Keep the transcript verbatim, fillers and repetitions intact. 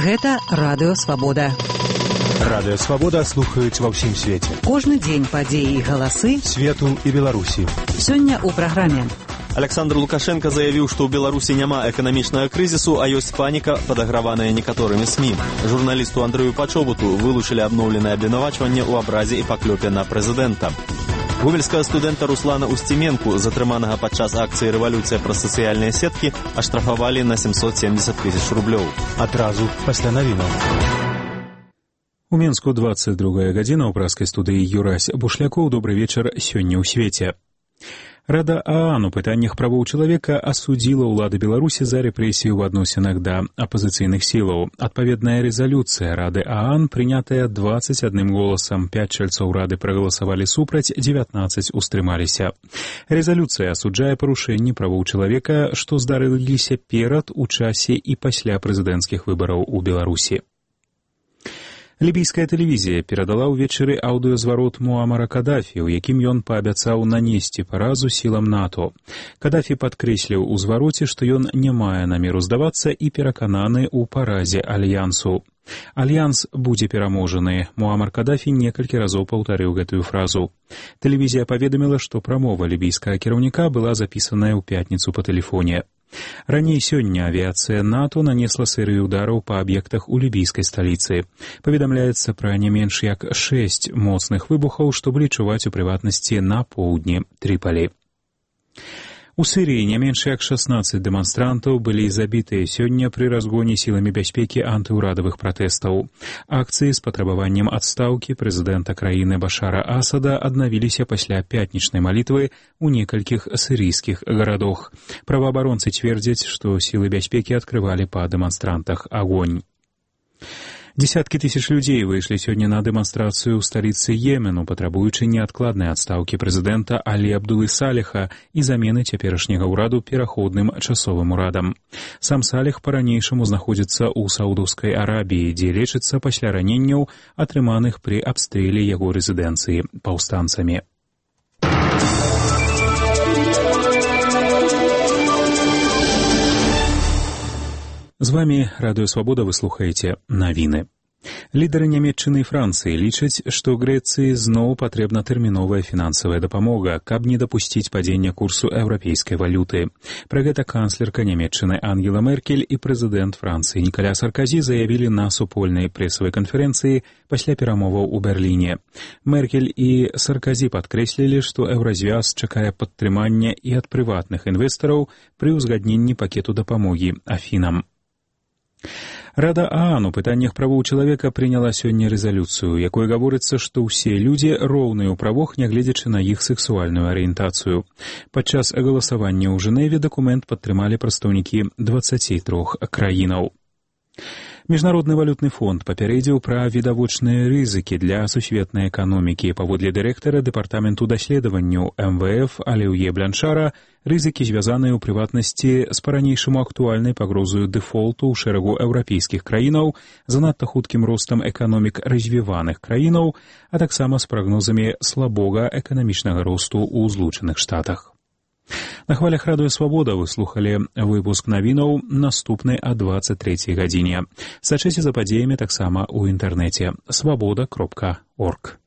Гэта Радыё Свабода. Радыё Свабода слухаюць ва ўсім свеце. Кожны дзень падзеі і галасы свету і Беларусі. Сёння ў праграме. Александр Лукашенко заявіў, што ў Беларусі няма эканамічнага крызісу, а ёсць паніка, падаграваная некаторымі СМІ. Журналісту Андрэю Пачобуту вылучылі абноўленае абвінавачванне ў абразе і паклёпе на прэзідэнта. Гомельскага студэнта Руслана Устименку, затрыманага падчас акцыі «Рэвалюцыя праз сацыяльныя сеткі», аштрафавалі на семьсот семьдесят тысяч рублёў. Адразу пасля навінаў. У Мінску двадцать другая гадзіна, ў праскай студыі Юрась Бушлякоў. Добры вечар сёння ў свеце. Рада ААН у пытаннях правоў чалавека асудзіла ўлады Беларусі за рэпрэсію ў адносінах да апазіцыйных сілаў. Адпаведная рэзалюцыя Рады ААН, прынятая двадцать адным голасам. Пяць чальцоў Рады прагаласавалі супраць, дзевятнаццаць устрымаліся. Рэзалюцыя асуджае парушэнні правоў чалавека, што здарыліся перад, у часе і пасля прэзідэнцкіх выбараў у Беларусі. Лібійская тэлевізія перадала ўвечары аўдыёзварот Муамара Кадафі, у якім ён паабяцаў нанесці паразу сілам НАТО. Кадафі падкрэсліў у звароце, што ён не мае намеру здавацца і перакананы ў паразе альянсу. Альянс будзе пераможаны. Муамар Кадафі некалькі разоў паўтарыў гэтую фразу. Тэлевізія паведаміла, што прамова лібійскага кіраўніка была запісаная ў пятніцу па тэлефоне. Раней сёння авіяцыя НАТО нанесла серыю удараў па аб'ектах у лібійскай сталіцы. Паведамляецца пра не менш як шэсць моцных выбухаў, што былі чуваць у прыватнасці на поўдні Трыпалі. У Сірыі не менш як шаснаццаць дэманстрантаў былі забітыя сёння пры разгоне сіламі бяспекі антыўрадавых пратэстаў. Акцыі з патрабаваннем адстаўкі прэзідэнта краіны Башара Асада аднавіліся пасля пятнічнай малітвы ў некалькіх сірыйскіх гарадах. Праваабаронцы цвердзяць, што сілы бяспекі адкрывалі па дэманстрантах агонь. Десяткі тысяч людзей выйшлі сёння на дэманстрацыю ў сталіцы Йемену, патрабуючы неадкладнай адстаўкі прэзідэнта Алі Абдулы Саліха і замены цяперашняга ўраду пераходным часовым урадам. Сам Саліх па-ранейшаму знаходзіцца ў Саудаўскай Арабіі, дзе лечыцца пасля раненняў, атрыманых пры абстрэле яго рэзідэнцыі паўстанцамі. З вамі Радыё Свабода, вы слухаеце навіны. Лідары Нямецчыны і Францыі лічаць, што Грэцыі зноў патрэбна тэрміновая фінансавая дапамога, каб не дапусціць падзення курсу еўрапейскай валюты. Пра гэта канцлерка Нямецчыны Ангела Меркель і прэзідэнт Францыі Нікаля Сарказі заявілі на супольнай прэсавай канферэнцыі пасля перамоваў у Берліне. Меркель і Сарказі падкрэслілі, што еўразвяз чакае падтрымання і ад прыватных інвестараў пры ўзгадненні пакету дапамогі Афінам. Рада ААН у пытаннях правоў чалавека прыняла сёння рэзалюцыю, якой гаворыцца, што ўсе людзі роўныя ў правах, нягледзячы на іх сексуальную арыентацыю. Падчас галасавання ў Жэневе дакумент падтрымалі прадстаўнікі дваццаці трох краінаў. Міжнародны валютны фонд папярэдзіў пра відавочныя рызыкі для сусветнай эканомікі. Паводле дырэктара дэпартаменту даследаванняў эм вэ эф Алеўе Бляншара, рызыкі звязаныя ў прыватнасці з па-ранейшаму актуальнай пагрозаю дэфолту ў шэрагу еўрапейскіх краінаў, занадта хуткім ростам эканомік развіваных краінаў, а таксама з прагнозамі слабога эканамічнага росту ў Злучаных Штатах. На хвалях Радыё Свабода вы слухалі выпуск навінаў, наступны о двадцать трэцяй гадзіне. Сачыце за падзеямі таксама ў інтэрнэце свабода кропка орг.